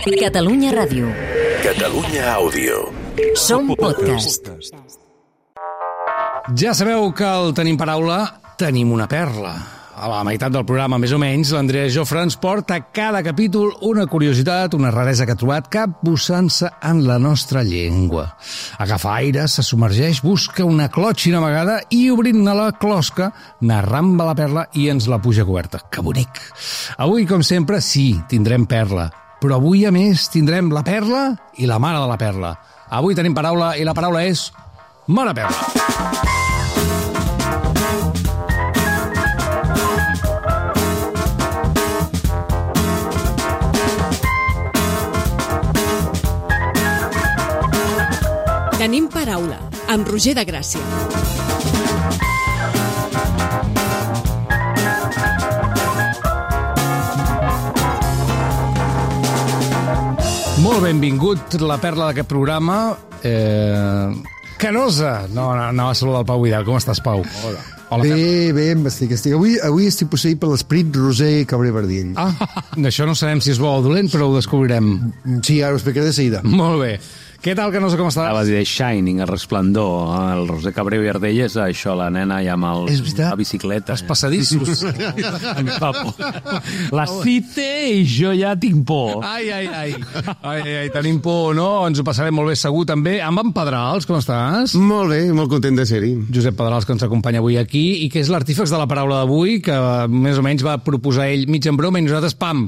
Catalunya Ràdio. Catalunya Àudio. Som podcast. Ja sabeu que al Tenim Paraula tenim una perla. A la meitat del programa, més o menys, l'Andrea Jofre ens porta a cada capítol una curiositat, una raresa que ha trobat capbussant-se en la nostra llengua. Agafa aire, se submergeix, busca una clòtxina amagada i, obrint-ne la closca, n'arramba la perla i ens la puja coberta. Que bonic! Avui, com sempre, sí, tindrem perla. Però avui, a més, tindrem la perla i la mare de la perla. Avui tenim paraula i la paraula és mare perla. Tenim paraula, amb Roger de Gràcia. Molt benvingut, la perla d'aquest programa. Canosa! No, anava a saludar el Pau Vidal. Com estàs, Pau? Hola. Bé, estic. Avui estic posseït per l'esperit Roser Cabré-Verdiell. Això no sabem si és bo o dolent, però ho descobrirem. Sí, ara ho explicaré de seguida. Molt bé. Què tal, Canosa, com estàs? Vas dir Shining, el resplendor, el Roser Cabré i Ardell és això, la nena ja amb la bicicleta. Els passadissos. La cite i jo ja tinc por. Ai, tenim por, no? Ens ho passarem molt bé segur, també. Amb en Pedrals, com estàs? Molt bé, molt content de ser-hi. Josep Pedrals, que ens acompanya avui aquí, i que és l'artífex de la paraula d'avui, que més o menys va proposar ell mig en broma, i nosaltres, pam,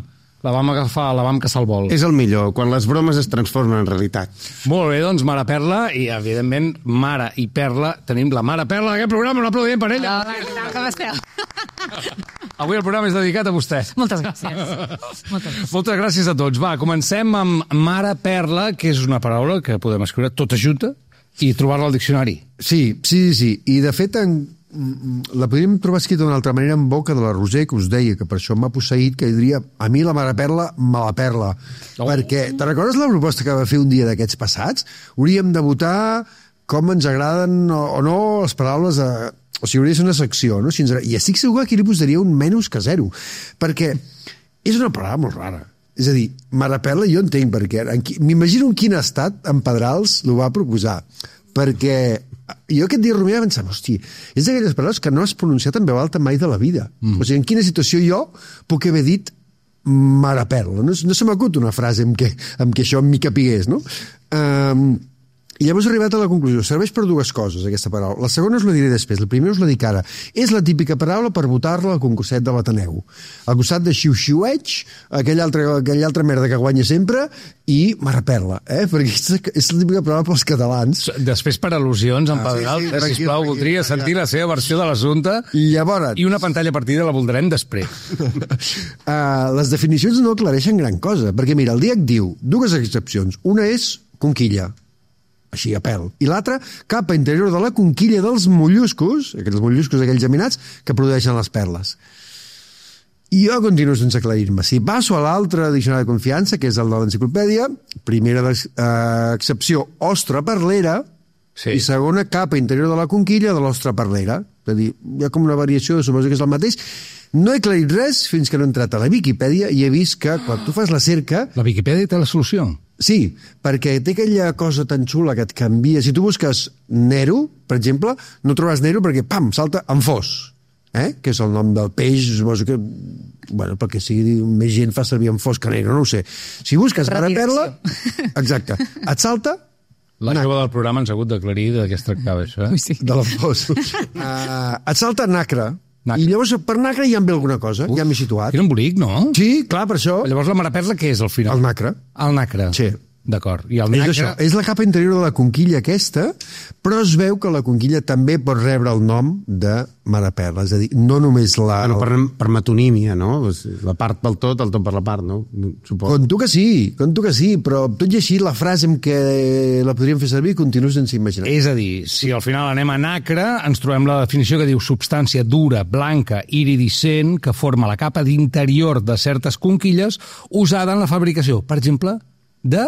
la vam agafar, la vam caçar al vol. És el millor, quan les bromes es transformen en realitat. Molt bé, doncs, Mare Perla, i evidentment, Mare i Perla, tenim la Mare Perla d'aquest programa, un aplaudiment per ella. Com esteu? Avui el programa és dedicat a vostè. Moltes gràcies. Moltes gràcies a tots. Va, comencem amb Mare Perla, que és una paraula que podem escriure tota junta i trobar-la al diccionari. Sí. I, de fet, la podríem trobar escrita d'una altra manera en boca de la Roser, que us deia que per això m'ha posseït, que diria, a mi la Mare Perla me la perla. Perquè, te recordes la proposta que va fer un dia d'aquests passats? Hauríem de votar com ens agraden o no les paraules o sigui, hauria de ser una secció, no? I estic segur que aquí li posaria un menys que 0, perquè és una paraula molt rara. És a dir, Mare Perla jo entenc perquè m'imagino en quin estat en Pedrals l'ho va proposar, perquè jo aquest dia rumiava i pensava, hosti, és d'aquelles paraules que no has pronunciat en veu alta mai de la vida. O sigui, en quina situació jo puc haver dit Mare Perla? No se m'acut una frase en què això m'hi capigués, no? I llavors he arribat a la conclusió. Serveix per dues coses, aquesta paraula. La segona us la diré després, la primera us la dic ara. És la típica paraula per votar-la al concurset de l'Ateneu. Al costat de xiu-xiueig, aquella altra merda que guanya sempre, i Mare Perla, perquè és la típica paraula pels catalans. Després, per al·lusions, en Pedral, sisplau, voldria sentir la seva versió de l'assumpte. Llavors... I una pantalla partida la voldrem després. Les definicions no aclareixen gran cosa, perquè mira, el DIEC diu dues excepcions. Una és conquilla, així a pèl, i l'altra, capa interior de la conquilla dels molluscos, aquells molluscos, aquells geminats, que produeixen les perles. I jo continuo sense aclarir-me. Si passo a l'altre diccionari de confiança, que és el de l'enciclopèdia, primera excepció, ostra perlera, sí. I segona, capa interior de la conquilla de l'ostra perlera. És a dir, hi ha com una variació, suposo que és el mateix. No he aclarit res fins que no he entrat a la Viquipèdia i he vist que quan tu fas la cerca... La Viquipèdia té la solució? Sí, perquè té aquella cosa tan xula que et canvia. Si tu busques Nero, per exemple, no trobaràs Nero perquè, pam, salta en Fos, que és el nom del peix, suposo que, bueno, perquè sigui més gent fa servir en Fos que Nero, no ho sé. Si busques Mare Perla, exacte, et salta... La jove del programa ens ha hagut d'aclarir de què es tractava, això, Sí. De la Fos. Et salta Nacre. I llavors per Nacre ja em ve alguna cosa, ja m'he situat. Era un bonic, no? Sí, clar, per això. Llavors la Mare Perla què és al final? El Nacre. El Nacre. Sí. D'acord. I el Nacre... És això, és la capa interior de la conquilla aquesta, però es veu que la conquilla també pot rebre el nom de Mare Perla, és a dir, no només la... Bueno, per metonímia, no? La part pel tot, el tot per la part, no? Suposo. Conto que sí, però tot i així la frase amb què la podríem fer servir continua sense imaginar. És a dir, si al final anem a Nacre, ens trobem la definició que diu substància dura, blanca, iridescent, que forma la capa d'interior de certes conquilles usada en la fabricació, per exemple, De?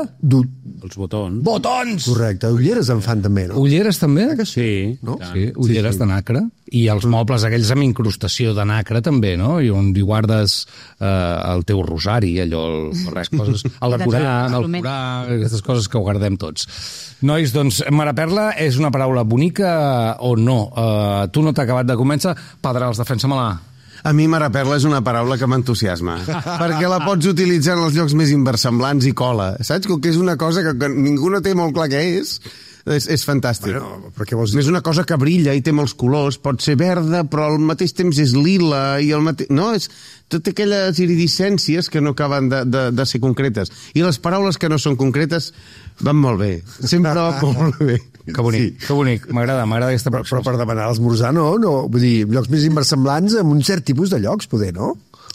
Els botons. Botons! Correcte, ulleres en fan també, no? Ulleres també? Sí. No? Sí, ulleres de nacre. I els mobles aquells amb incrustació de nacre també, no? I on hi guardes el teu rosari, allò, coses, el Corà, aquestes coses que ho guardem tots. Nois, doncs, mare perla és una paraula bonica o no? Tu no t'ha acabat de convèncer? Pedrals, defensa-me-la. A mi mare perla és una paraula que m'entusiasma, perquè la pots utilitzar en els llocs més inversemblants i cola, saps? Que és una cosa que ningú no té molt clar què és fantàstic. Bueno, però què vols dir? És una cosa que brilla i té molts colors, pot ser verda, però al mateix temps és lila, i al mateix... No, és tot aquelles iridescències que no acaben de ser concretes. I les paraules que no són concretes van molt bé. Sempre van molt bé. Que bonic, sí. Que bonic. M'agrada aquesta però per demanar l'esmorzar, no? Vull dir, llocs més inversemblants amb un cert tipus de llocs, poder, no?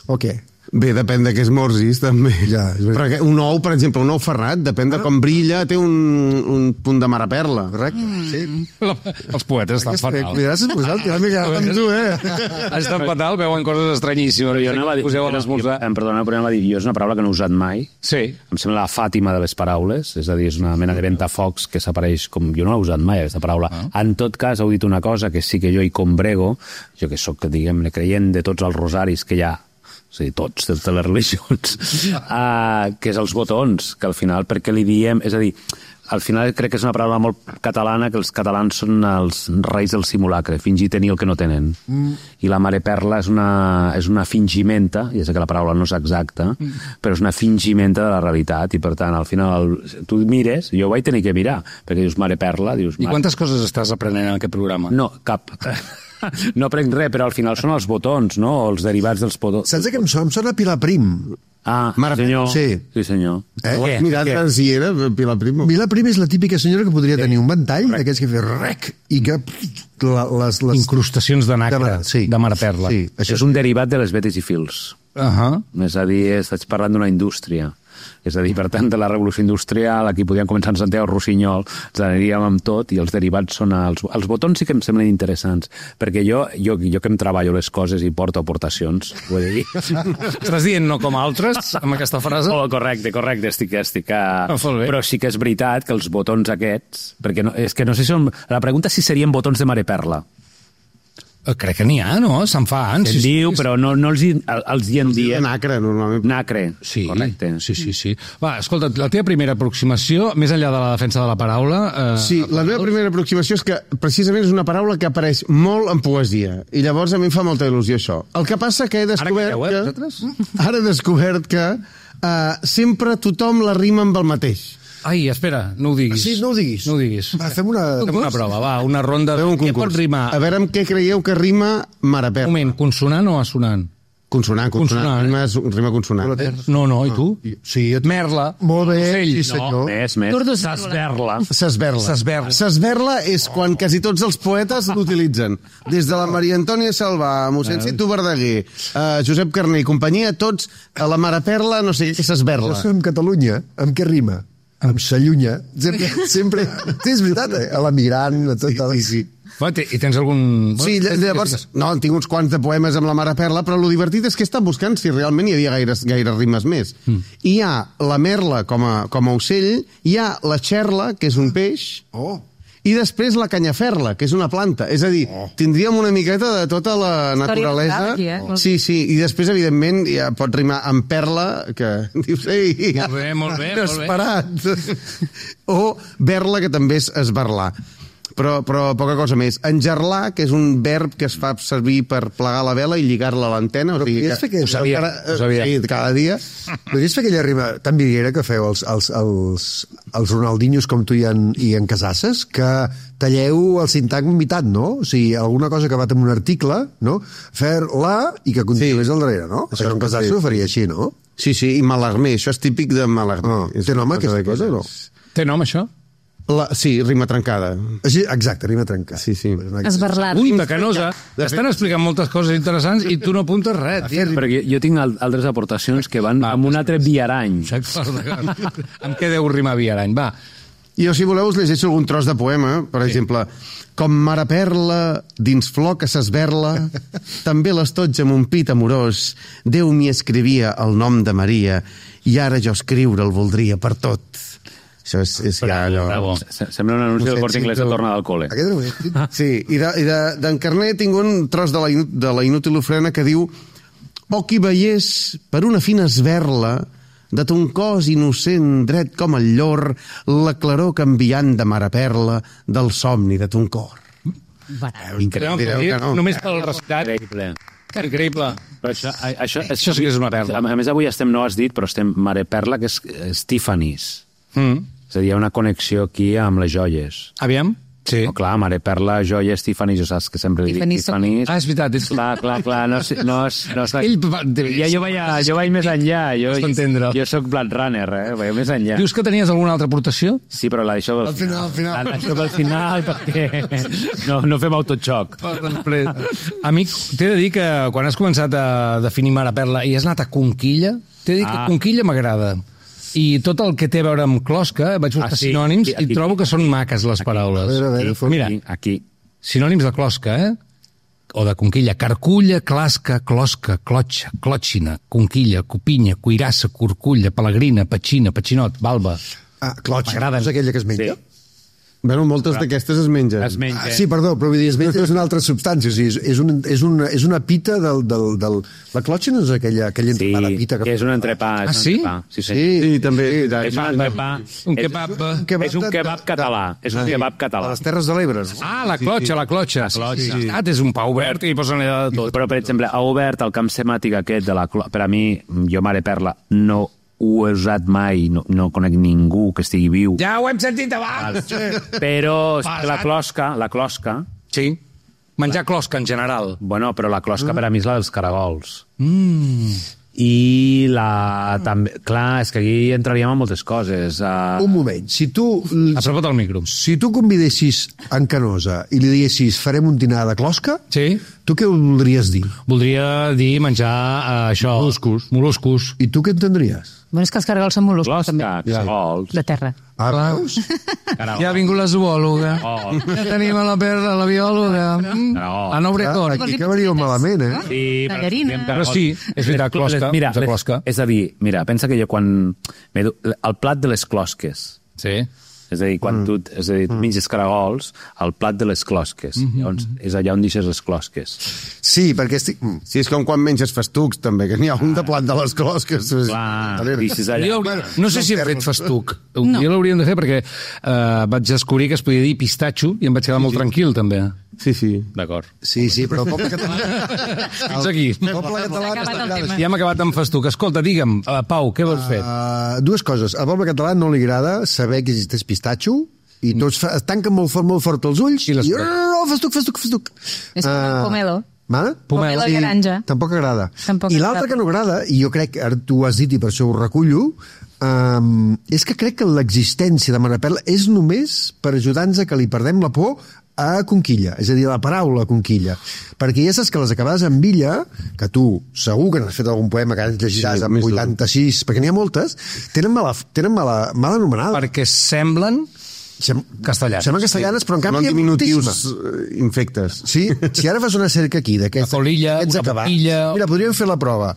O què? Bé, depèn de què esmorzis, també. Ja, però un ou, per exemple, un ou ferrat, depèn de com brilla, té un punt de mare perla. Correcte, sí. Els poetes estan fatal. Cuidaràs esmorzar, que m'he quedat amb tu, Estan fatal, veuen coses estranyíssimes. Jo anava a dir, perdona, però anava a dir, jo és una paraula que no he usat mai. Sí. Em sembla la Fàtima de les paraules, és a dir, és una mena de ventafocs que s'apareix com... Jo no l'he usat mai, aquesta paraula. En tot cas, heu dit una cosa que sí que jo hi combrego, jo que sóc, diguem-ne, creient de tots els rosaris que hi ha, o sigui, tots, de totes les religions, que és els botons, que al final, per què li diem... És a dir, al final crec que és una paraula molt catalana, que els catalans són els reis del simulacre, fingir tenir el que no tenen. I la mare perla és una fingimenta, ja sé que la paraula no és exacta, però és una fingimenta de la realitat, i per tant, al final, tu mires, jo vaig tenir que mirar, perquè dius mare perla, dius... I quantes coses estàs aprenent en aquest programa? No, cap. No prenc res, però al final són els botons, no? O els derivats dels botons. Saps què em sona Pilar Prim? Ah, senyor. Sí. Sí, senyor. Què? Mirat si era Pilar Prim. Pilar Prim és la típica senyora que podria tenir un ventall d'aquests que fa rec i que les incrustacions de nacre, de mare perla. Sí, això és un derivat de les vetes i fils. És a dir, estàs parlant d'una indústria. És a dir, per tant, de la revolució industrial, aquí podíem començar en Santiago Rossinyol, ens aniríem amb tot, i els derivats són... Els botons sí que em semblen interessants, perquè jo que em treballo les coses i porto aportacions, ho he de dir. Estàs dient no com altres, amb aquesta frase? Oh, correcte, estic però sí que és veritat que els botons aquests... Perquè és que no sé si són... La pregunta és si serien botons de mare perla. Crec que n'hi ha, no? Se'n fan. Se'n diu, però no els hi en diem. Nacre, normalment. Nacre, sí, correcte. Sí. Va, escolta, la teva primera aproximació, més enllà de la defensa de la paraula... Sí, la meva primera aproximació és que precisament és una paraula que apareix molt en poesia, i llavors a mi em fa molta il·lusió això. El que passa que he descobert que sempre tothom la rima amb el mateix. Ai, espera, no ho diguis. Sí, no ho diguis. No ho diguis. Va, fem una prova, va, una ronda. Fem un concurs. Què pot rimar? A veure amb què creieu que rima mare perla. Un moment, consonant o assonant? Consonant. Rima consonant. No, i tu? Sí, merla. Molt bé, sí senyor. No, més. S'esberla és quan quasi tots els poetes l'utilitzen. Des de la Maria Antònia Salvà, mossèn Citu Verdaguer, Josep Carner i companyia, tots a la mare perla, no sé què s'esberla. Jo soc en Catalunya, amb què rima? Amb s'allunya. Sempre... Sí, és veritat, a l'emigrant, a tot. Sí. I tens algun... Sí, llavors... No, tinc uns quants de poemes amb la mare perla, però el divertit és que he estat buscant si realment hi havia gaires rimes més. Hi ha la merla com a ocell, hi ha la xerla, que és un peix, i després la canyaferla, que és una planta. És a dir, tindríem una miqueta de tota la naturalesa. Sí, i després, evidentment, ja pot rimar amb perla, que dius, ei, molt bé. Inesperat. O berla, que també és esberlar. Però poca cosa més. Engerlar, que és un verb que es fa servir per plegar la vela i lligar-la a l'antena. Ho sabia. Sí, cada dia. Podries fer aquella rima tan vidriera que feu els Ronaldinhos com tu i en Casasses, que talleu el sintagmitat, no? O sigui, alguna cosa que va amb un article, no? Fer-la i que continués al darrere, no? Això en Casasses ho faria així, no? Sí, i Malarmé. Això és típic de Malarmé. Té nom aquesta cosa o no? Té nom, això? Sí, rima trencada. Sí, exacte, rima trencada. Sí. Esberlar. Ui, Bacanosa, t'estan explicant moltes coses interessants i tu no apuntes res. Perquè jo tinc altres aportacions que van amb un altre viarany. Amb què deu rimar viarany? Va, Jo, si voleu, us llegeixo algun tros de poema. Per exemple, com mare perla dins flor que s'esberla, també l'estotja amb un pit amorós, Déu m'hi escrivia el nom de Maria i ara jo escriure'l voldria per tot. Això és ja allò... Sembla un anunci del Corte Inglés que torna del col·le. Aquest era un èxit. Sí, i d'en Carné tinc un tros de la inútil ofrena que diu: «Oh, qui veiés per una fina esberla de ton cos innocent dret com el llor la claror canviant de mare perla del somni de ton cor». Increïble. Només pel recitat. Increïble. Però això sí que és una perla. A més, avui estem, no ho has dit, però estem mare perla, que és Tiffany's. És a dir, hi ha una connexió aquí amb les joies. Aviam? Sí. No, clar, mare perla, joies, Tiffany's, jo saps que sempre dic Tiffany's. Ah, és veritat. Clar, no jo vaig més enllà. Jo soc Blade Runner, vaig més enllà. Dius que tenies alguna altra aportació? Sí, però la deixo Al final. Això pel final, perquè no fem autoxoc. Amic, t'he de dir que quan has començat a definir mare perla i has anat a Conquilla, t'he de dir que Conquilla m'agrada. I tot el que té a veure amb closca, vaig buscar sinònims i trobo que són maques les paraules. A veure, mira, aquí. Sinònims de closca, o de conquilla: carculla, clasca, closca, clotxa, clòtxina, conquilla, copinya, cuirassa, curculla, pelegrina, petxina, petxinot, balba. Clotxa, és aquella que es menja? Bueno, moltes d'aquestes es mengen. Sí, perdó, però vull dir, es menja és una altra substància. O sigui, és una pita la clotxa no és aquella entrepà de pita. Que és un entrepà. Sí? Sí, també. És un kebab. És un kebab català. És un kebab català. A les Terres de l'Ebre. La clotxa. És un pa obert i posen allà de tot. Però, per exemple, ha obert el camp semàtic aquest de la clotxa. Per a mi, jo, mare perla, no ho he usat mai, no conec ningú que estigui viu. Ja ho hem sentit abans! Però la closca... Sí, menjar closca en general. Bueno, però la closca per a mi és la dels caragols. I també... Clar, és que aquí entraríem en moltes coses. Un moment, si tu... Apropa't al micro. Si tu convidessis en Canosa i li diguessis farem un dinar de closca, sí, tu què voldries dir? Voldria dir menjar això... Moluscos. I tu què entendries? Bueno, és que els caragols són moluscos, també. Caragols. De terra. Ah, veus? Ja ha vingut la zoòloga. Ja tenim a la perla, la biòloga. Ana Obregón. Aquí acabaríeu malament, Sí, però sí, és veritat, closca. Mira, és a dir, mira, pensa que jo quan... El plat de les closques. Sí. És a dir, quan tu menges caragols, el plat de les closques. Llavors, és allà on deixes les closques. Sí, perquè estic... Sí, és com quan menges festucs, també, que n'hi ha un de plat de les closques. Clar, deixes allà. No sé si hem fet festuc. Un dia l'hauríem de fer perquè vaig descobrir que es podia dir pistatxo i em vaig quedar molt tranquil, també. Sí. D'acord. Sí, però el poble català... Fins aquí. El poble català... Ja hem acabat amb festuc. Escolta, digue'm, Pau, què vols fer? Dues coses. Al poble català no li agrada saber que existeix pistatxo i tots tanquen molt fort els ulls i festuc. És pomelo. Pomelo i garanja. Tampoc agrada. I l'altre que no agrada, i jo crec que ara tu ho has dit i per això ho recullo, és que crec que l'existència de Mare Perla és només per ajudar-nos a que li perdem la por a conquilla, és a dir, la paraula conquilla. Perquè ja saps que les acabades amb illa, que tu segur que n'has fet algun poema que llegiràs amb 86, perquè n'hi ha moltes, tenen mal anomenada. Perquè semblen castellanes. Semblen castellanes, però en canvi hi ha diminutius infectes. Sí, si ara fas una cerca aquí d'aquests acabats... Mira, podríem fer la prova.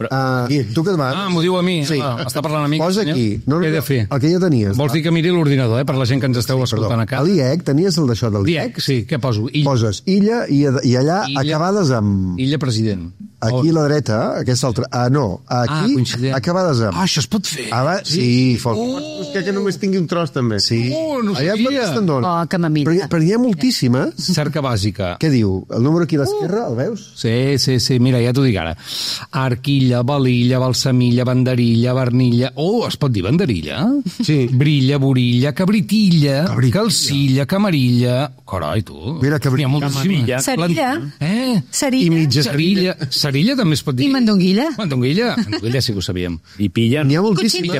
Tu què et vas? M'ho diu a mi. Està parlant a mi. Posa aquí. Què he de fer? El que ja tenies. Vols dir que miri l'ordinador, per la gent que ens esteu escoltant a casa? A l'IEC, tenies el d'això del l'IEC? Sí, què poso? Poses illa i allà acabades amb... Illa president. Aquí a la dreta, aquesta altra... no, aquí acabades amb... Això es pot fer? Sí, fort. Busca que només tingui un tros, també. Sí. No sabia. Que m'amilla. Però hi ha moltíssimes. Cerca bàsica. Què diu? El número aquí a l'esquerra, el veus? Sí, mira, ja t'ho dic ara. Arquilla, balilla, balsamilla, banderilla, barnilla... es pot dir banderilla? Sí. Brilla, borilla, cabritilla, calcilla, camarilla... Carai, tu. Mira, camarilla. Cerilla. I mitja cerilla. Cerilla també es pot dir. I mandonguilla. Mandonguilla sí que ho sabíem. I pilla. N'hi ha moltíssimes.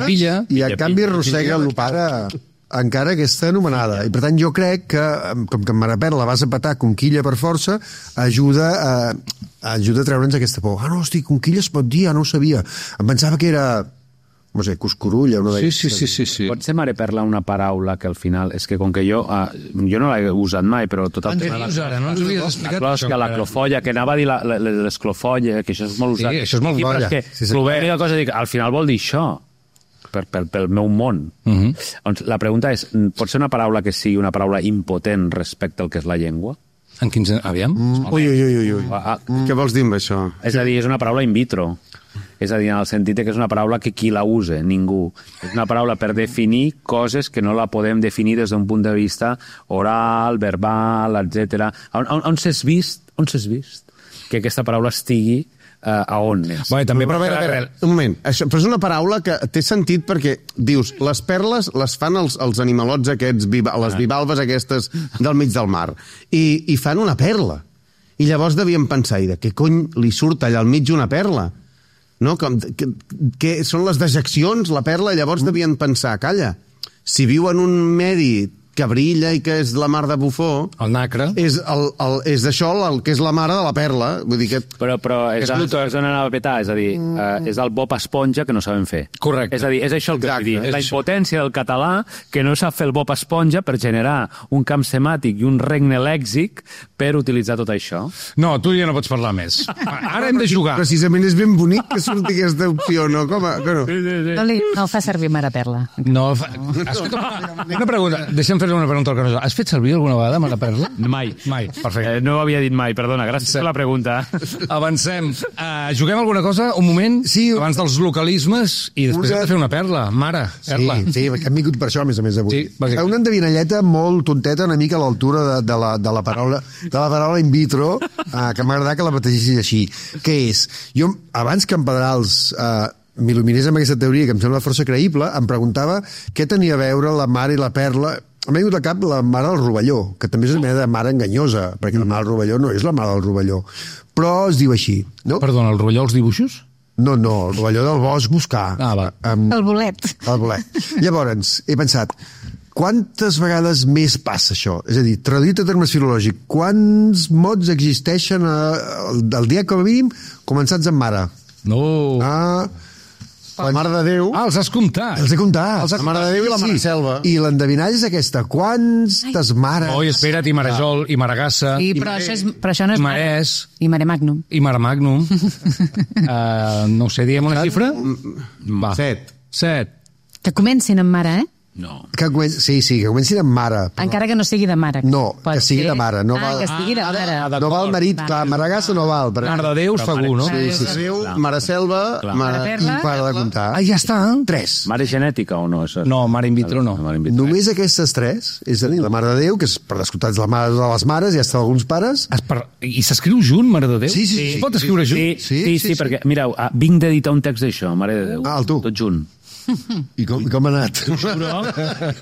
I a canvi arrossega l'opara encara aquesta anomenada. I per tant jo crec que, com que en Mare Perla vas a petar conquilla per força, ajuda a treure'ns aquesta por. No, hosti, conquilla es pot dir, no ho sabia. Em pensava que era no sé, cuscurulla, una d'aquestes. Sí. Pot ser mare perla una paraula que al final... És que com que jo no l'he usat mai, però tot el Què dius ara? No ens ho havies explicat? la clofolla, que anava a dir l'esclofolla, que això és molt usat. Sí, això és molt però colla. és que Sí, sí. l'única cosa dic, al final vol dir això, pel meu món. Doncs la pregunta és, pot ser una paraula que sigui una paraula impotent respecte al que és la llengua? En quins... Aviam? Ui. Què vols dir amb això? És a dir, és una paraula in vitro. És a dir, en el sentit que és una paraula que qui la use, ningú. És una paraula per definir coses que no la podem definir des d'un punt de vista oral, verbal, etc. On s'has vist que aquesta paraula estigui a on és? Bé, també, Però a veure, un moment. Però és una paraula que té sentit perquè dius, les perles les fan els animalots aquests, les bivalves aquestes del mig del mar, i fan una perla. I llavors devien pensar, i de què cony li surt allà al mig una perla? No? Que són les dejeccions, la perla, llavors devien pensar, calla, si viu en un medi que brilla i que és la mar de bufó, El nacre. és això el que és la mare de la perla. Vull dir que... Però és on anava a petar, és a dir, és el Bob Esponja que no sabem fer. Correcte. És a dir, és això el que vull dir. és La això. impotència del català que no sap fer el Bob Esponja per generar un camp semàtic i un regne lèxic per utilitzar tot això. No, tu ja no pots parlar més. Ara hem de jugar. Precisament és ben bonic que surti aquesta opció, no? Que no? No fa servir mare perla. No, escolta, una pregunta. Deixa'm fer una pregunta al Carlos. Has fet servir alguna vegada mare perla? Mai. Perfecte. No ho havia dit mai, perdona, gràcies per la pregunta. Avancem. Juguem alguna cosa? Un moment? Sí. Abans dels localismes i després hem de fer una perla. Mare, perla. Sí, perquè hem vingut per això, a més avui. Sí, bàsicament. Una endevinalleta molt tonteta, una mica a l'altura de la paraula in vitro, que m'agrada que la bategessis així. Què és? Jo, abans que en Pedrals m'il·luminés amb aquesta teoria, que em sembla força creïble, em preguntava què tenia a veure la mare i la perla. M'ha vingut al cap la mare del rovelló, que també és una mena de mare enganyosa, perquè la mare del rovelló no és la mare del rovelló, però es diu així, no? Perdona, el rovelló als dibuixos? No, el rovelló del bosc buscar. Va. El bolet. El bolet. Llavors, he pensat, quantes vegades més passa això? És a dir, traduït a termes filològics, quants mots existeixen al dia, com a mínim, començats amb mare? No. La Mare de Déu. Ah, Els has comptat. Els he comptat. La Mare de Déu i la Mare Selva. I l'endevinalla és aquesta. Quantes mares... Oi, espera't, i Marejol, i Maragassa, Sí, però això no és i Marès, I Mare Magnum. i Mar Magnum. No ho sé, diem una xifra? Va. 7. Que comencin amb mare, No. Que comencin amb mare. Però... Encara que no sigui de mare. No, Pot que sigui ser- de mare. No val... que sigui de mare. No val marit, Va. clar, Maragassa no val. Però... Mar de Déu, segur, no? Mare Sí. Mare de Déu, Mare Selva, Mare I perla. para de comptar. Ah, ja està. 3. Mare genètica o no? Això? No, mare in vitro no. Mare in vitro. Només aquestes 3, és a dir, la Mare de Déu, que és per descomptat la mare de les mares, ja està d'alguns pares. I s'escriu junt, Mare de Déu? Sí. Es pot escriure junt? Sí, perquè, mireu, vinc d'editar un text d'això, Mare de Déu. Ah, el tu. Tot junt. I com ha anat?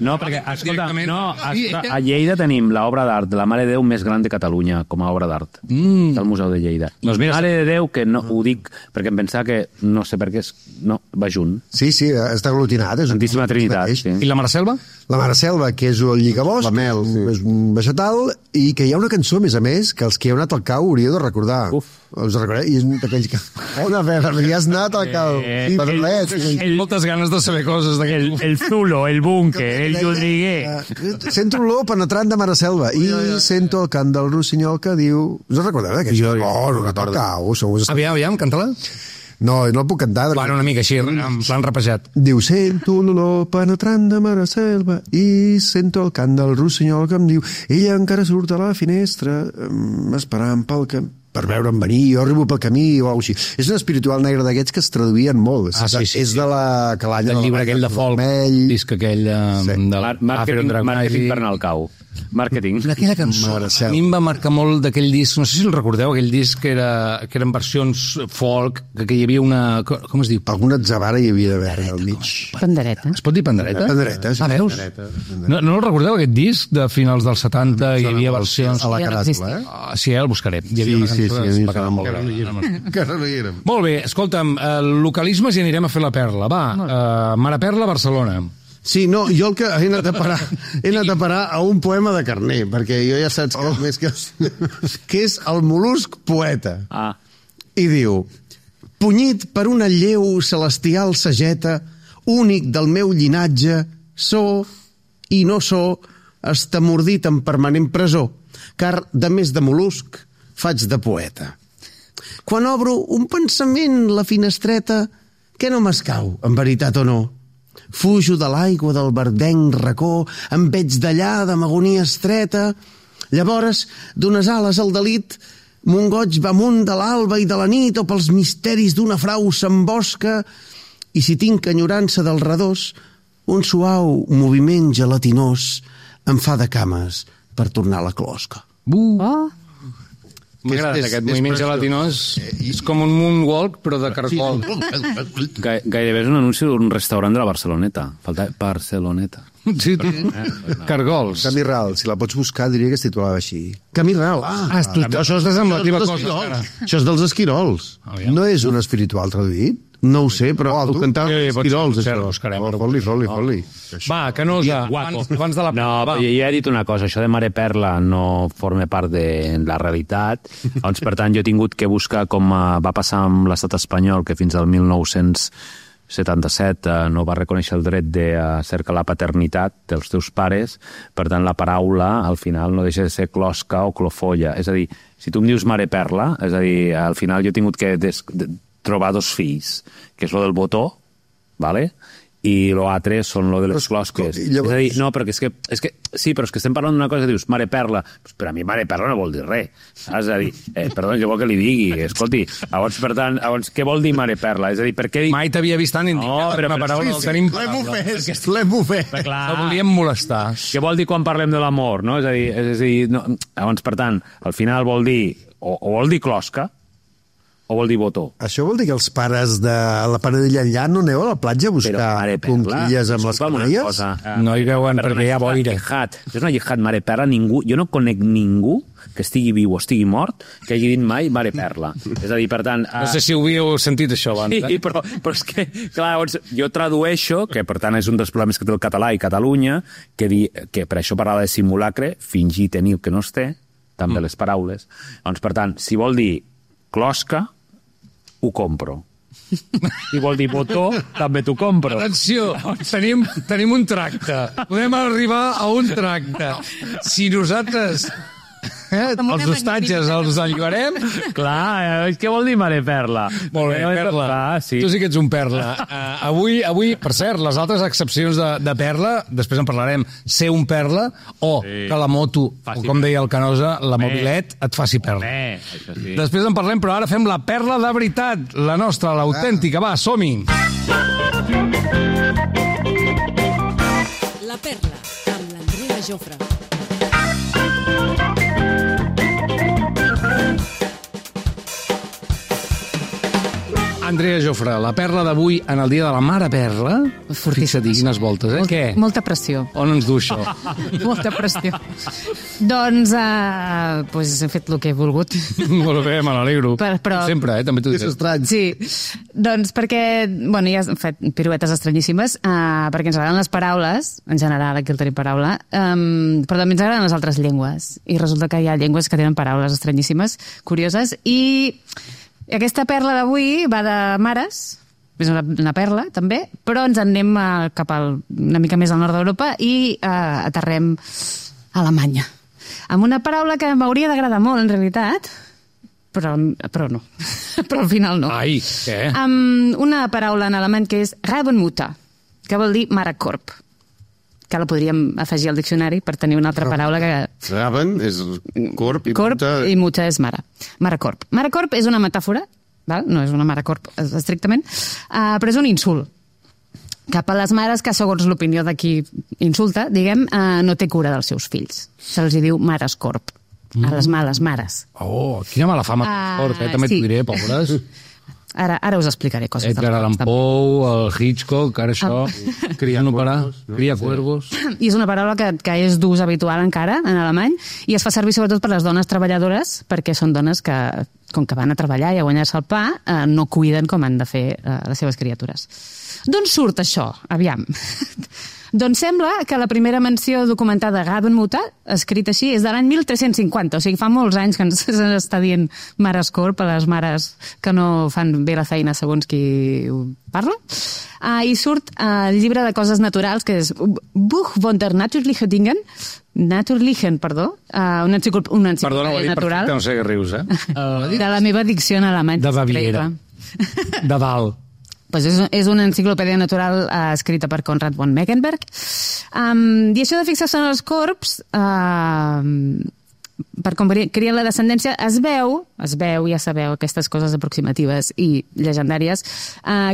No, perquè, escolta, Directament. a Lleida tenim l'obra d'art de la Mare de Déu més gran de Catalunya com a obra d'art. Del Museu de Lleida. Doncs mira, Mare de Déu, que no ho dic perquè em pensava que, no sé per què, no, va junt. Sí, està aglutinat. És Santíssima Trinitat, mateix. sí. I la Mare Selva? La Mare Selva, que és el lligabosc, La mel, sí. és un vegetal, i que hi ha una cançó, a més, que els que heu anat al cau hauríeu de recordar. Uf. Us recordeu? I és d'aquells que... Una vegada, hi has anat al cau. Pedrolet. Moltes ganes de saber coses d'aquest. El Zulo, el Búnquer, el Llodriguer. Sento olor penetrant de Mare Selva i sento el cant del rossinyol que diu... Us en recordeu d'aquest? Oh, no recordo. Cau, Aviam, canta-la. No el puc cantar. Bueno, una mica així, en plan rapejat. Diu, sento l'olor penetrant de Mare Selva i sento el cant del rossinyol que em diu ella encara surt a la finestra esperant per veure'm venir, jo arribo pel camí o alguna cosa així. És un espiritual negre d'aquests que es traduïen molt. Sí. És de la calanya Del llibre aquell de folk, vermell. disc aquell de Màrqueting per anar al cau. Màrqueting. Aquella cançó, Mare a Selva. mi em va marcar molt d'aquell disc, no sé si el recordeu, aquell disc que eren versions folk, que hi havia una... Com es diu? Alguna atzavara hi havia d'haver al mig. Pandereta. Es pot dir pandereta? Pandereta, sí. Ah, veus? No el recordeu, aquest disc de finals dels 70? Hi havia versions... A la Ja no caràtula, Sí, el buscaré. Hi havia una cançó que es va quedar molt bé. Encara no hi érem. Molt bé, escolta'm, localismes i anirem a fer la perla. Va, Mare Perla, Barcelona. Sí, no, jo el que he anat a parar a un poema de Carner, perquè jo ja saps que, més que és el mol·lusc poeta. Ah. I diu, punyit per una lleu celestial sageta, únic del meu llinatge, so i no so, estamordit en permanent presó, car, de més de mol·lusc, faig de poeta. Quan obro un pensament la finestreta, què no m'escau, en veritat o no? Fujo de l'aigua del verdenc racó, em veig d'allà de m'agonia estreta. Llavors, d'unes ales al delit, mon goig va amunt de l'alba i de la nit, o pels misteris d'una frau s'embosca, i si tinc enyorança del redós, un suau moviment gelatinós em fa de cames per tornar a la closca. Oh, M'agrada aquest moviment gelatinós. És com un moonwalk, però de caracol. Gairebé és un anunci d'un restaurant de la Barceloneta. Falta Barceloneta. Sí, cargols. Camí Ral, si la pots buscar, diria que es titulava així. Camí Ral. Això és desembativa cosa. Això és dels esquirols. No és un espiritual traduït? No ho sé, però ho cantava esquirols, això. Fot-li. Va, Canosa, abans de la... No, jo ja he dit una cosa, això de Mare Perla no forma part de la realitat, doncs, per tant, jo he tingut que buscar com va passar amb l'estat espanyol, que fins al 1977 no va reconèixer el dret de cercar la paternitat dels teus pares, per tant, la paraula, al final, no deixa de ser closca o clofolla. És a dir, si tu em dius Mare Perla, és a dir, al final jo he tingut que trobar dos fills, que és lo del botó, ¿vale? I lo altre són lo de les closques. Llavors... És a dir, no, perquè és que sí, però és que estem parlant d'una cosa, dius, Mare Perla, pues per a mi Mare Perla no vol dir res, saps? És a dir, perdó, jo vol que li digui, escolti, llavors, per tant, què vol dir Mare Perla? És a dir, per què... Mai t'havia vist tan indignat. No, però una paraula del tenim... L'hem ofès. La volíem molestar. Què vol dir quan parlem de l'amor, no? És a dir, no, llavors, per tant, al final vol dir, o vol dir closca, o vol dir botó. Això vol dir que els pares de la Paradilla enllà no aneu a la platja a buscar conquilles amb les canalles? No hi veuen perquè hi ha boira. És una jihad, Mare Perla, ningú... Jo no conec ningú que estigui viu o estigui mort que hagi dit mai Mare Perla. És a dir, per tant... No sé si ho havíeu sentit, això, abans. Sí, però és que, clar, llavors, jo tradueixo, que per tant és un dels problemes que té el català i Catalunya, que per això parlava de simulacre, fingir tenir que no es té, també les paraules. Doncs, per tant, si vol dir closca, ho compro. Si vol dir botó, també t'ho compro. Atenció, tenim un tracte. Podem arribar a un tracte. Si nosaltres... els hostatges els enlluarem. Clar, què vol dir Mare Perla? Molt bé, Perla. Clar, sí. Tu sí que ets un Perla. Avui, per cert, les altres excepcions de Perla, després en parlarem, ser un Perla, o que la moto, o com deia el Canosa, la mobilet, et faci Perla. Això sí. Després en parlem, però ara fem la Perla de veritat, la nostra, l'autèntica. Va, som-hi! La Perla, amb l'Andrea Jofre. Andrea Jofre, la perla d'avui en el dia de la Mare Perla. Fixa't, quines voltes, eh? Què? Molta pressió. On ens du això? Molta pressió. Doncs, pues he fet el que he volgut. Molt bé, me n'alegro. Però... Sempre, també t'ho dic. És estrany. Sí, doncs perquè, bueno, ja hem fet piruetes estranyíssimes, perquè ens agraden les paraules, en general, aquí el tenim paraula, però també ens agraden les altres llengües. I resulta que hi ha llengües que tenen paraules estranyíssimes, curioses, i aquesta perla d'avui va de mares, és una perla, també, però ens en anem cap una mica més al nord d'Europa i aterrem a Alemanya. Amb una paraula que m'hauria d'agradar molt, en realitat, però no. Però al final no. Ai, què? Amb una paraula en alemany que és Rabenmutter, que vol dir mare corp, que la podríem afegir al diccionari per tenir una altra paraula que... Raben és corp i i mutter és mare. Mare corp. Mare corp és una metàfora, val? No és una mare corp estrictament, però és un insult cap a les mares que, segons l'opinió de qui insulta, diguem, no té cura dels seus fills. Se'ls diu mares corp, a les males mares. Oh, quina mala fama. També t'ho diré, pobres. Ara us explicaré coses. Edgar Allan Poe, el Hitchcock, ara això... Cria cuervos. I és una paraula que és d'ús habitual encara en alemany i es fa servir sobretot per les dones treballadores perquè són dones que, com que van a treballar i a guanyar-se el pa, no cuiden com han de fer les seves criatures. D'on surt això? Aviam. Doncs sembla que la primera menció documentada de Rabenmutter, escrita així, és de l'any 1350, o sigui, fa molts anys que ens està dient Mares Corp a les mares que no fan bé la feina segons qui ho parla. I surt el llibre de coses naturals, que és Buch von der Natürlichen Dingen, una enciclopèdia natural. Perfecte, no sé què rius, De la meva dicció en alemany. De Baviera. De dalt. Pues és una enciclopèdia natural escrita per Konrad von Meckenberg. I això de fixar-se en els corps, per com crien la descendència, es veu, ja sabeu, aquestes coses aproximatives i llegendàries,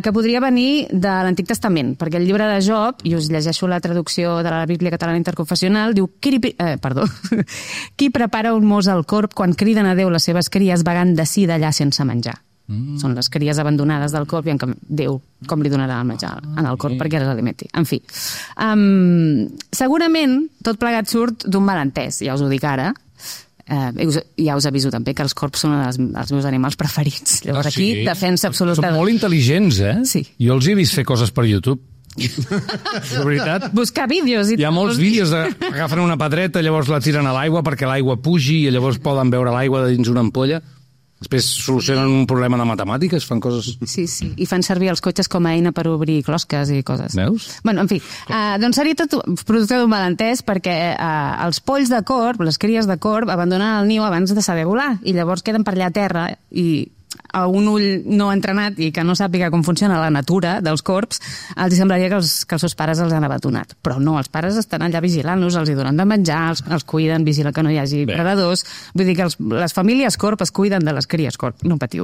que podria venir de l'Antic Testament, perquè el llibre de Job, i us llegeixo la traducció de la Bíblia Catalana Interconfessional, diu, qui prepara un mos al corb quan criden a Déu les seves cries vagant d'ací d'allà sense menjar? Són les cries abandonades del corp i en Déu com li donarà el menjar en el corp perquè les alimenti. En fi, segurament tot plegat surt d'un malentès, ja us ho dic ara. Ja us aviso també que els corps són els meus animals preferits. Llavors aquí, defensa absoluta. Són molt intel·ligents, Sí. Jo els he vist fer coses per YouTube. De veritat. Buscar vídeos. Hi ha molts vídeos agafen una pedreta, llavors la tiren a l'aigua perquè l'aigua pugi i llavors poden veure l'aigua dins una ampolla. Després solucionen un problema de matemàtiques, fan coses... Sí, i fan servir els cotxes com a eina per obrir closques i coses. Veus? Bueno, en fi, doncs seria tot producte d'un malentès perquè els polls de corb, les cries de corb, abandonen el niu abans de saber volar i llavors queden per allà a terra i a un ull no entrenat i que no sàpiga com funciona la natura dels corbs, els semblaria que els seus pares els han abandonat. Però no, els pares estan allà vigilant-los, els hi donen de menjar, els cuiden, vigilen que no hi hagi predadors. Vull dir que les famílies corb es cuiden de les cries corb, no patiu.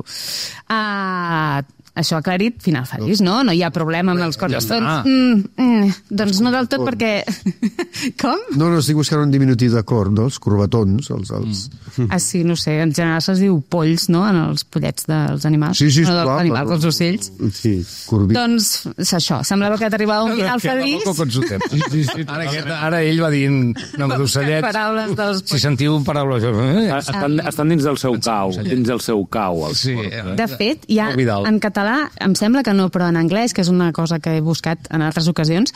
Això aclarit, final feliç, no? No hi ha problema amb els corbs. Ja Doncs no del tot perquè... Com? No, estic buscant un diminutiu de corb, no? Els corbatons. Sí, no sé, en general se'ls diu polls, no?, en els pollets dels animals. Sí, no dels clar. animals, dels ocells. Sí, corbit. Doncs això, semblava que t'arribava un final feliç. Ara ell va dient nom d'ocellets. Paraules dels... Si sentiu paraules... Estan dins del seu cau, Sí. De fet, hi ha en català, em sembla que no, però en anglès, que és una cosa que he buscat en altres ocasions,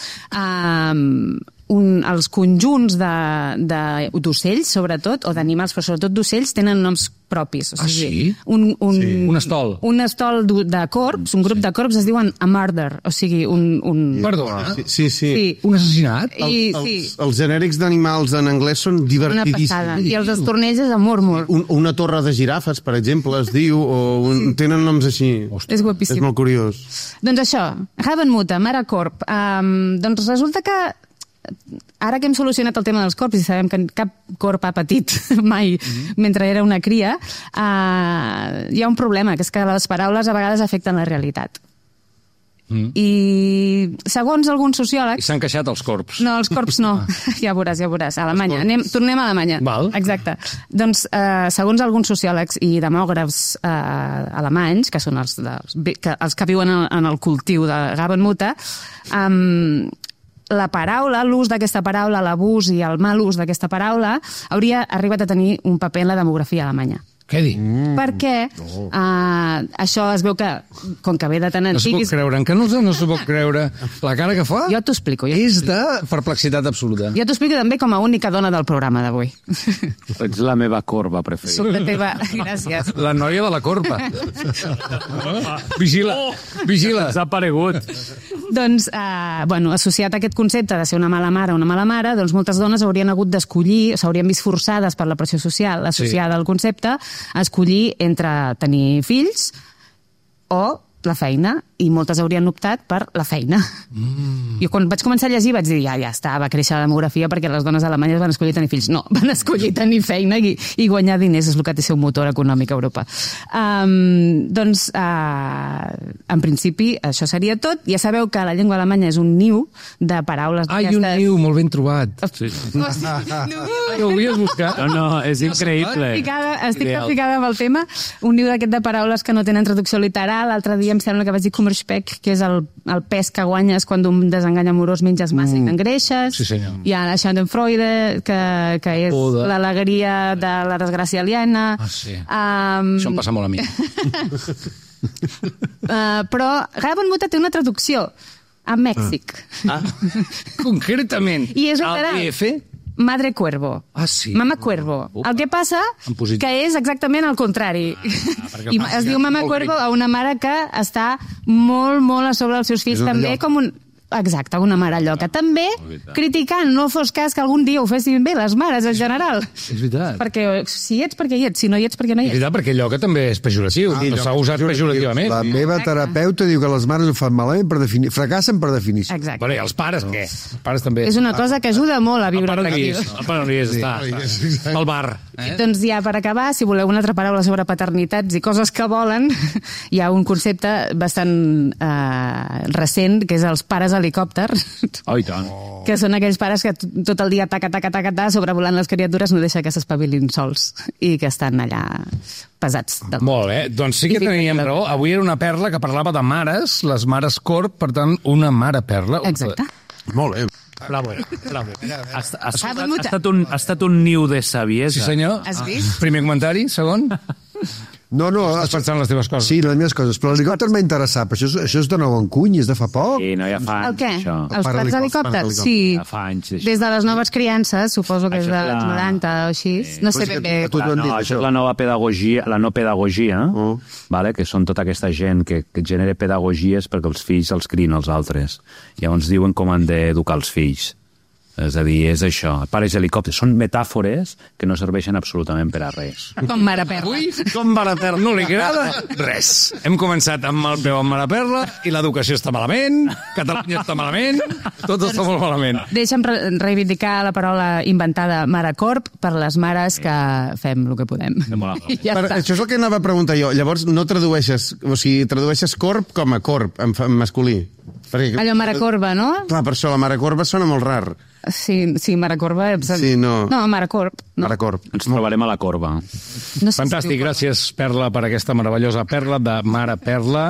els conjunts d'ocells, sobretot, o d'animals, però sobretot d'ocells, tenen noms propis. O sigui, un estol. Un estol de corbs, un grup de corbs es diuen a murder, o sigui, Perdona? Sí. Un assassinat? Els genèrics d'animals en anglès són divertidíssims. Una passada. I els estornells és a murmur. Una torre de girafes, per exemple, es diu, o tenen noms així. És guapíssim. És molt curiós. Doncs això, Rabenmutter, mare corb. Doncs resulta que ara que hem solucionat el tema dels corps i sabem que cap corp ha patit mai mentre era una cria, hi ha un problema, que és que les paraules a vegades afecten la realitat. I segons alguns sociòlegs... I s'han queixat els corps. No, els corps no. Ja veuràs. Alemanya. Tornem a Alemanya. Val. Exacte. Doncs, segons alguns sociòlegs i demògrafs alemanys, que són els que viuen en el cultiu de Rabenmutter, la paraula, l'ús d'aquesta paraula, l'abús i el mal ús d'aquesta paraula hauria arribat a tenir un paper en la demografia alemanya. Què dic? Perquè això es veu que, com que ve de tan antic... No s'ho pot creure, no s'ho pot creure la cara que fa. Jo t'ho explico. És de perplexitat absoluta. Jo t'ho explico també com a única dona del programa d'avui. Ets la meva corba preferida. Soc la teva... Gràcies. La noia de la corba. Vigila. S'ha aparegut. Doncs, associat a aquest concepte de ser una mala mare o una mala mare, doncs moltes dones haurien hagut d'escollir, s'haurien vist forçades per la pressió social associada al concepte, a escollir entre tenir fills o la feina, i moltes haurien optat per la feina. Jo quan vaig començar a llegir vaig dir, ja està, va créixer la demografia perquè les dones alemanyes van escollir tenir fills. No, van escollir tenir feina i guanyar diners, és el que té ser un motor econòmic a Europa. Doncs, en principi, això seria tot. Ja sabeu que la llengua alemanya és un niu de paraules d'aquestes... un niu, molt ben trobat. Sí. Ho havies buscat? No, és increïble. Estic capficada amb el tema. Un niu d'aquest de paraules que no tenen traducció literal. L'altre dia em sembla que vaig dir Kummerspeck, que és el pes que guanyes quan d'un desengany amorós menges massa i t'engreixes. Sí, senyor. Hi ha la Schadenfreude, que és l'alegria de la desgràcia aliena. Sí. Això em passa molt a mi. Però Rabenmutter té una traducció a Mèxic. Concretament, I és al literal. DF? Madre Cuervo. Ah, sí? Mama Cuervo. El que passa En positiu. que és exactament el contrari. perquè I es diu Mama Cuervo a una mare que està molt, molt a sobre dels seus fills, És una també lloca. com un... Exacte, una mare lloca. També criticant, no fos cas que algun dia ho fessin bé les mares en general. És veritat. Perquè si hi ets, perquè hi ets. Si no hi ets, perquè no hi És ets. veritat, perquè lloca també és pejoratiu. No s'ha usat pejorativament. La meva terapeuta diu que les mares ho fan malament per definir, fracassen per definició. Exacte. Bueno, i els pares, què? Els pares també. És una cosa que ajuda molt a El viure pare no hi tranquil. és. El pare no hi és, està. Pel bar. Doncs ja per acabar, si voleu una altra paraula sobre paternitats i coses que volen, hi ha un concepte bastant recent, que és els pares helicòpters, Oh, i tant. que són aquells pares que tot el dia taca, sobrevolant les criatures, no deixa que s'espavilin sols i que estan allà pesats. Molt bé, doncs sí que teníem raó. Avui era una perla que parlava de mares, les mares corp, per tant, una mare perla. Exacte. Molt bé. Bravo, bravo. Ha estat un niu de saviesa. Sí, senyor. Has vist? Primer comentari, segon. No, Estàs pensant en les teves coses. Sí, les meves coses. Però l'helicòpter m'ha interessat. Però això és de nou en cuny, és de fa poc. Sí, no, ja fa anys, El què? això. Els plats helicòpters? Sí. Ja fa anys, d'això. Des de les noves criances, suposo que és Això és dels la- 90 o així. No sé ben bé. A tu t'ho han dit, No, això és la nova pedagogia, la no pedagogia, vale? Que són tota aquesta gent que genera pedagogies perquè els fills els criïn els altres. Llavors diuen com han d'educar els fills. És a dir, és això. Pares helicòpters són metàfores que no serveixen absolutament per a res. Com mare perla. Ui, com mare perla, no li agrada res. Hem començat amb el peu amb mare perla i l'educació està malament, Catalunya està malament, tot està molt malament. Deixa'm reivindicar la paraula inventada marecorp per les mares que fem el que podem. Ja està. Això és el que anava a preguntar jo. Llavors, no tradueixes... O sigui, tradueixes corp com a corp, en masculí. Perquè, Allò marecorba, no? clar, per això la mare corba sona molt rar. Sí, marecorba. Sí, no. No, marecorp. No. Mare corp. Ens trobarem a la corba. No sé Fantàstic, si diu gràcies, Perla, per aquesta meravellosa perla de Mare Perla.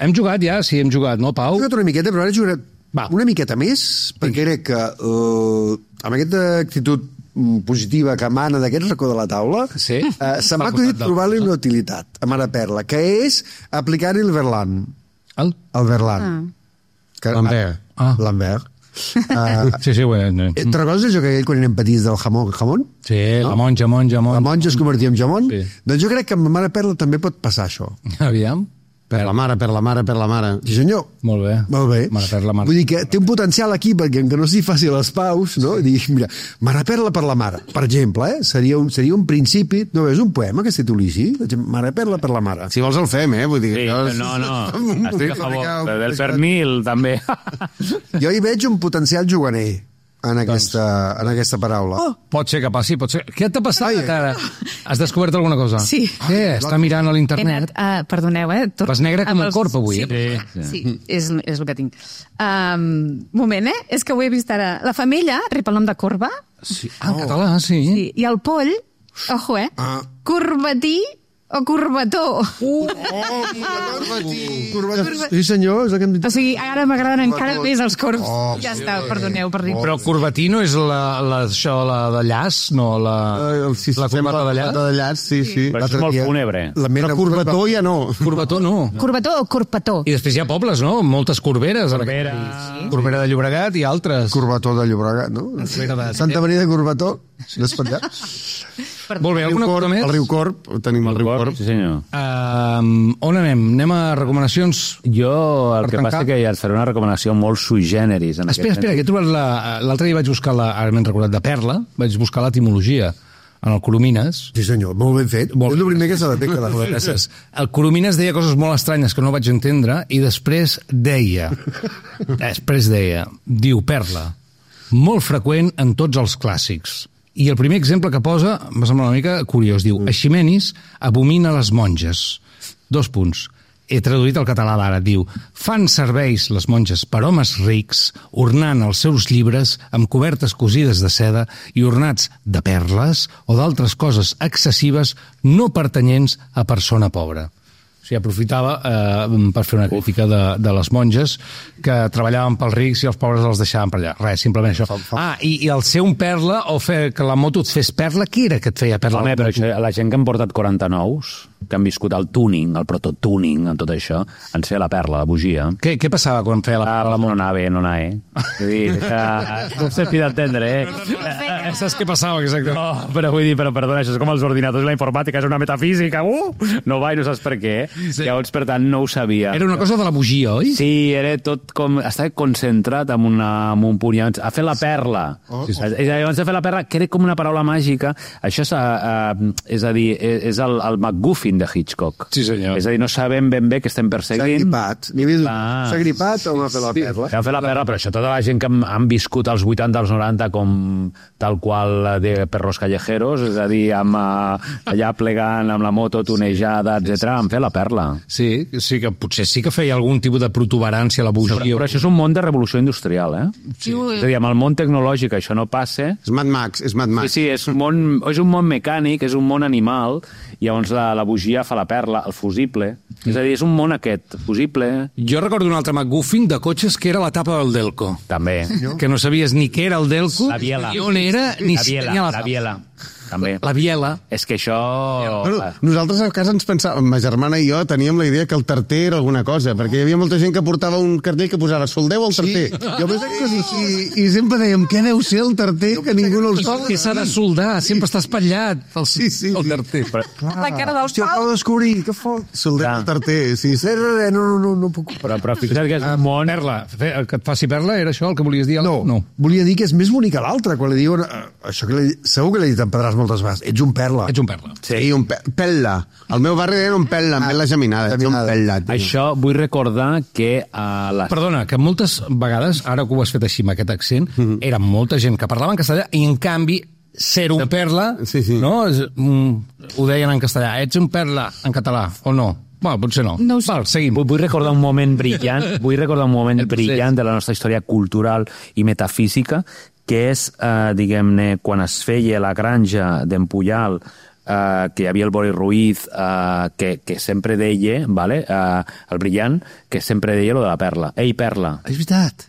Hem jugat ja? Sí, hem jugat, no, Pau? He jugat una miqueta, però ara jugaré Va. una miqueta més, perquè crec que amb aquesta actitud positiva que emana d'aquest racó de la taula, Sí. se m'ha acudit trobar-li una utilitat a Mare Perla, que és aplicar-hi el Verlan. El? El Verlan. Lambert. Lambert. Sí, sí, Te'n recordes això que aquell quan érem petits del jamón? Sí, la monja. La monja es convertia en jamón? Sí. Doncs jo crec que amb la Mare Perla també pot passar això. Aviam. Per la mare, per la mare, per la mare. Sí, senyor. Molt bé. Molt bé. Mare Perla, Mare. Vull dir que té un potencial aquí perquè que no s'hi faci les paus, no? I dir, mira, Mare Perla per la mare, per exemple, seria un principi, no veus, un poema que es tituli així? Mare Perla per la mare. Si vols el fem, Vull dir, Sí, no. Estic a favor. Del pernil, també. Jo hi veig un potencial juganer en aquesta paraula. Oh, pot ser que passi, pot ser. Què t'ha passat ara? Has descobert alguna cosa? Sí. Què? Està mirant a He l'internet? anat, perdoneu, Vas negre com el corp, avui, Sí, és el que tinc. Moment, És que ho he vist ara. La femella rep el nom de corba, Sí. Ah, en català, sí. sí, i el poll, ojo, corbatí o corbató. Sí, senyor, és el que hem dit. O sigui, ara m'agraden encara més els corbs. Ja està, perdoneu per dir. Però corbatí no és això, la de llaç? No, la corbata de llaç? La de llaç, sí. Però això és molt fúnebre. Però corbató ja no. Corbató no. Corbató o corpató? I després hi ha pobles, no? Moltes corberes. Corbera de Llobregat i altres. Corbató de Llobregat, no? Santa Maria de Corbató, no és per allà. Molt bé, alguna cosa més? El riu Corb, tenim el riu Corb. Sí, senyor. On anem? Anem a recomanacions? Jo el Per que tancar. passa que ja et faré una recomanació molt sui generis. En Espera, aquest que he trobat l'altre dia vaig buscar, ara m'he recordat, de perla, vaig buscar l'etimologia en el Coromines. Sí, senyor, molt ben fet. És el primer que s'ha de fer cada vegada. Gràcies. El Coromines deia coses molt estranyes que no vaig entendre i després deia, diu perla, molt freqüent en tots els clàssics. I el primer exemple que posa m'ha semblat una mica curiós. Diu, Eiximenis abomina les monges. 2 punts. He traduït al català d'ara. Diu, fan serveis les monges per homes rics, ornant els seus llibres amb cobertes cosides de seda i ornats de perles o d'altres coses excessives no pertanyents a persona pobra. O sigui, aprofitava per fer una crítica de les monges que treballaven pels rics i els pobres els deixaven per allà. Res, simplement això. I el ser un perla o fer que la moto et fes perla, qui era que et feia perla? Home, però això, la gent que han portat 49s, que han viscut el tuning, el prototuning, en tot això, en ser la perla, la bugia. Què passava quan feia la perla? No anava bé, no anava, Vull dir, no sé si d'entendre, Saps què passava, exacte? No, però vull dir, perdona, això és com els ordinadors i la informàtica, és una metafísica, no va i no saps per què. Sí. Llavors, per tant, no ho sabia. Era una cosa de la bugia, oi? Sí, era tot com... Estava concentrat en un punt. Llavors, a fer la perla. Llavors, a fer la perla, que era com una paraula màgica. Això és a dir, és el MacGuffin de Hitchcock. Sí, senyor. És a dir, no sabem ben bé què estem perseguint. S'ha gripat o m'ha fet la perla? S'ha fet la perla, però això tota la gent que han viscut als 80, als 90 com tal qual de perros callejeros, és a dir, allà plegant amb la moto tunejada, etc, han fet la perla. Sí, que potser sí que feia algun tipus de protuberància a la bugia. Però això és un món de revolució industrial, Sí. És a dir, amb el món tecnològic això no passa. És Mad Max. Sí, és un món mecànic, és un món animal, i llavors la bugia fa la perla, el fusible. És a dir, és un món aquest, fusible. Jo recordo un altre MacGuffin de cotxes que era la tapa del Delco. També. Que no sabies ni què era el Delco, la biela. ni on era, ni si tenia la tapa. La biela. També. La biela. És que això... Bueno, nosaltres a casa ens pensàvem, ma germana i jo teníem la idea que el tarter era alguna cosa, perquè hi havia molta gent que portava un cartell que posava soldeu al tarter. I sempre dèiem, què deu ser el tarter, que ningú no el sol? Que s'ha de soldar, sempre està espatllat el tarter. La cara del Hòstia, acabo de descobrir, què fot? Soldeu al tarter, sí. No puc... Però fixa't que és un món... Perla, que et faci perla, era això el que volies dir? No. Volia dir que és més bonic que l'altre, quan li diuen... Això que segur que l'he dit en Pedràs moltes vegades. Ets un perla. Sí, un pella. Al meu barri era un pella, amb la geminada. Ets un pella. Això vull recordar que... Perdona, que moltes vegades, ara que ho has fet així amb aquest accent, era molta gent que parlava en castellà i, en canvi, ser un perla, no? Ho deien en castellà. Ets un perla en català, o no? Bueno, potser no. Val, seguim. Vull recordar un moment brillant, de la nostra història cultural i metafísica, que és, diguem-ne, quan es feia la granja d'Empuyal, que hi havia el Bori Ruiz, que sempre deia, el brillant, que sempre deia lo de la perla. Ei, perla. És veritat.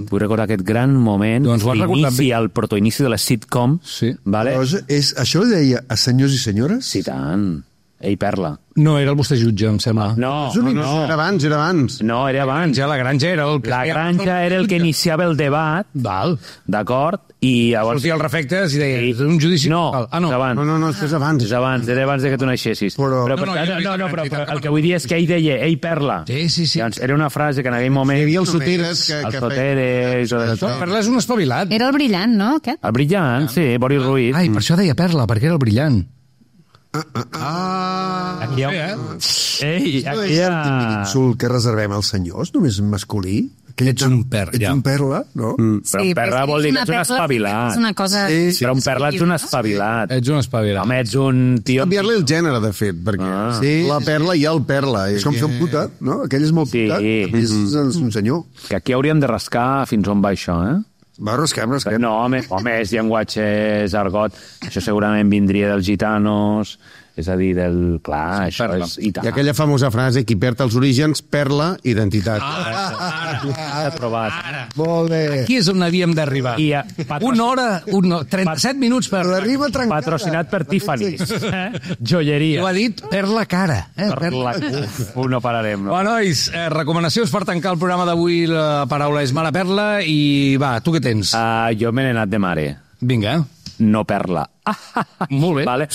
Vull recordar aquest gran moment, el protoinici de la sitcom. Sí. Això ho deia a senyors i senyores? Sí, tant. Ei, perla. No, era el vostre jutge, em sembla. No. Era abans. No, era abans. La granja era el... La granja era el que iniciava el debat. Val. D'acord? I llavors... Sortia els refectes i deia, és un judici... No, no. No, és abans. És abans, era abans que tu naixessis. Però el que vull dir és que ell deia, ei, perla. Sí. Llavors, era una frase que en aquell moment... Hi havia els soteres que... Els soteres... Perla és un espavilat. Era el brillant, no, aquest? El brillant, sí, Bori Ruiz. Ai, per això deia perla, perquè era el brillant. Aquí hi ha... Ei, aquí hi ha... Sul que reservem als senyors, només en masculí? Ets un perla. Ets un perla, no? Però un perla vol dir que ets un espavilat. És una cosa... Però un perla ets un espavilat. Ets un espavilat. Home, ets un tio... Canviar-li el gènere, de fet, perquè la perla i el perla. És com fer un puta, no? Aquell és molt puta, és un senyor. Que aquí hauríem de rascar fins on va això, Va, rasquem. No, home, és llenguatge, és argot. Això segurament vindria dels gitanos, és a dir, del... Clar, això és... I aquella famosa frase, qui perd els orígens, perla, identitat. Ara. Provat. Molt bé. Aquí és on havíem d'arribar. 37 minuts per... La rima trencada. Patrocinat per Tiffany's. Joieria. Ho ha dit per la cara. No pararem, no? Bueno, nois, recomanacions per tancar el programa d'avui. La paraula és mala perla i va, tu què tens? Jo me n'he anat de mare. Vinga. No perla. Molt bé. Vale.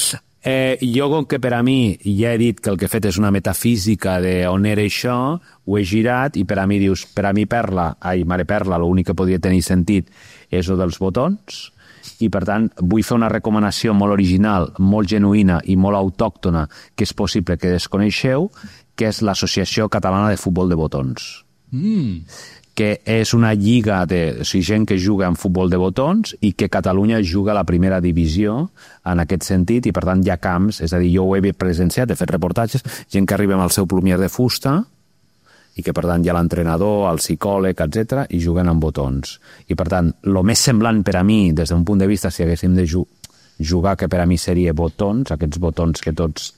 Jo, com que per a mi ja he dit que el que he fet és una metafísica d'on era això, ho he girat i per a mi dius, per a mi mare perla, l'únic que podia tenir sentit és el dels botons, i per tant vull fer una recomanació molt original, molt genuïna i molt autòctona, que és possible que desconeixeu, que és l'Associació Catalana de Futbol de Botons. Que és una lliga de gent que juga en futbol de botons i que Catalunya juga a la primera divisió en aquest sentit, i per tant hi ha camps, és a dir, jo ho he presenciat, he fet reportatges, gent que arriba amb el seu plumier de fusta i que per tant hi ha l'entrenador, el psicòleg, etc i juguen amb botons. I per tant, el més semblant per a mi, des d'un punt de vista, si haguéssim de jugar, que per a mi seria botons, aquests botons que tots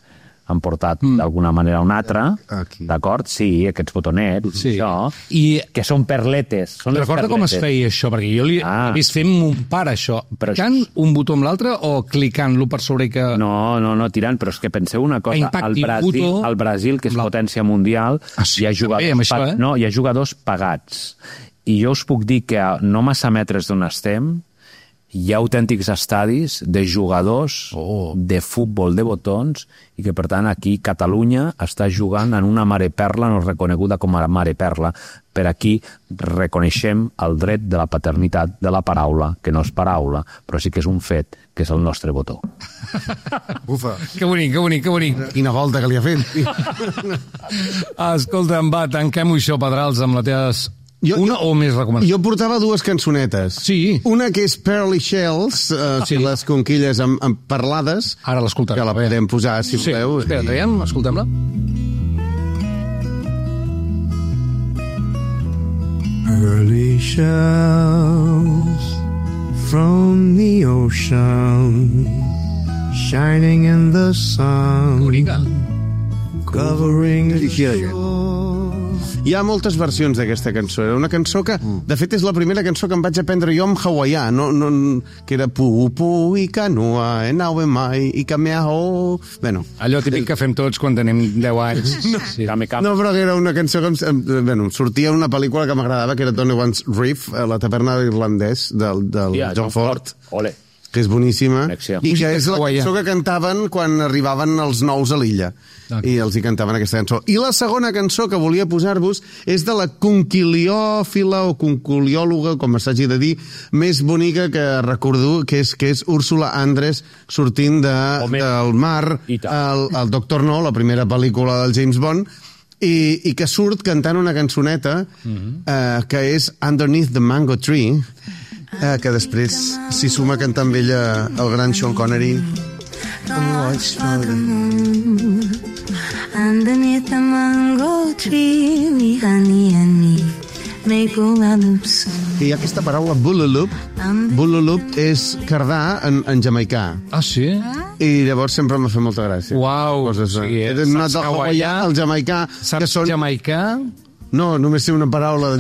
han portat d'alguna manera o una altra, Aquí. d'acord? Sí, aquests botonets, Sí. això, I que són perletes. Són les recorda com es perletes. feia això? Perquè jo he vist fent mon pare això. Però Clicant un botó amb l'altre o clicant-lo per sobre que... No, tirant, però és que penseu una cosa, Impacti, botó, al Brasil, que és potència mundial, sí, hi ha també, amb això, no, hi ha jugadors pagats. I jo us puc dir que a no massa metres d'on estem hi ha autèntics estadis de jugadors de futbol de botons i que, per tant, aquí Catalunya està jugant en una mare perla, no reconeguda com a mare perla. Per aquí reconeixem el dret de la paternitat de la paraula, que no és paraula, però sí que és un fet, que és el nostre botó. Bufa. Que bonic, que bonic, que bonic. Quina volta que li ha fet. Escolta'm, va, tanquem-ho això, Pedrals, amb les teves... Una o més recomanacions? Jo portava dues cançonetes. Sí. Una que és Pearly Shells, les conquilles amb parlades. Ara l'escoltarem. Que la podem posar, si voleu. Espera, traiem, escoltem-la. Pearly shells from the ocean, shining in the sun, Bonica. covering the shore. Hi ha moltes versions d'aquesta cançó. Era una cançó que, de fet, és la primera cançó que em vaig aprendre jo en hawaià, que era pu i canua, naue mai, i cameao... Bueno, Allò típic que fem tots quan tenim 10 anys. Sí. no, però que era una cançó que sortia en una pel·lícula que m'agradava, que era Tony One's Reef, la taverna irlandès del John Ford. Ole. Que és boníssima, Connexió. i que és la Hawaià. cançó que cantaven quan arribaven els nous a l'illa. I els hi cantaven aquesta cançó. I la segona cançó que volia posar-vos és de la conquiliòfila o conquiliòloga, com s'hagi de dir, més bonica que recordo, que és Úrsula Andress sortint del mar al Doctor No, la primera pel·lícula del James Bond, i que surt cantant una cançoneta que és Underneath the Mango Tree, que després s'hi suma a cantar amb ella el gran Sean Connery. Underneath the mango tree, we honey and me make all our loops. I hi ha aquesta paraula bululup. Bululup és cardar en jamaicà. Ah, sí? I llavors sempre m'ha fet molta gràcia. Uau. Coses, Sí, he anat del hawaià al jamaicà. Saps jamaicà? No, només sé una paraula.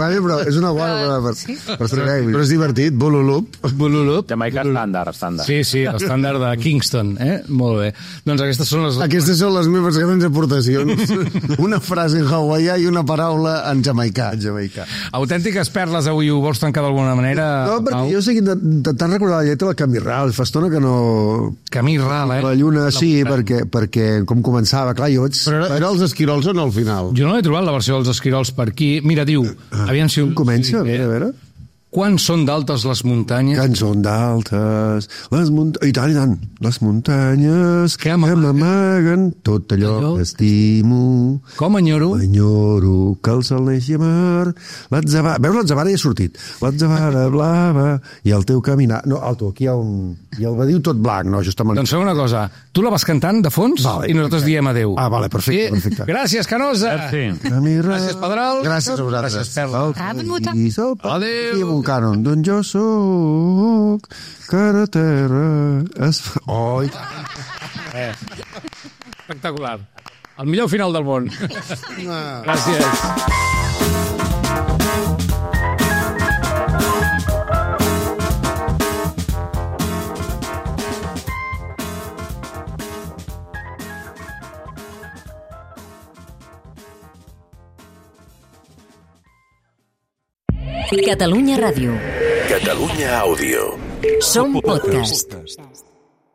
Vale, però és una bona per saber. Però és divertit, bululup. Bululup. Jamaica estàndard. Sí, l'estàndard de Kingston, Molt bé. Doncs aquestes són les... Aquestes són les meves grans aportacions. Una frase en hawaià i una paraula en jamaicà. Autèntiques perles, avui ho vols tancar d'alguna manera? No, perquè jo estic intentant recordar la lletra del Camí Ral. Fa estona que no... Camí Ral, La lluna, sí, perquè com començava, clar, jo vaig... Però era els esquirols o no, al final? Jo no he trobat la versió dels esquirols per aquí. Mira, diu... Aviam si... Comença, a veure. Quan són d'altes les muntanyes? Quan són d'altes les muntanyes... I tant. Les muntanyes que m'amaguen tot allò que estimo. Com enyoro? Enyoro que el sol neixi a mar. Veus, l'atzavara ja ha sortit. L'atzavara blava i el teu caminar... No, alto, aquí hi ha un... I el badiu tot blanc, no, justament... Doncs fem una cosa. Tu la vas cantant de fons i nosaltres diem adeu. Ah, vale, perfecte. Gràcies, Canosa. Gràcies, Pedral. Gràcies a vosaltres. Gràcies, Perla. Adéu. I amb un cànon d'on jo soc, cara a terra... Oi! Espectacular. El millor final del món. Gràcies. Catalunya Ràdio. Catalunya Àudio. Som podcast.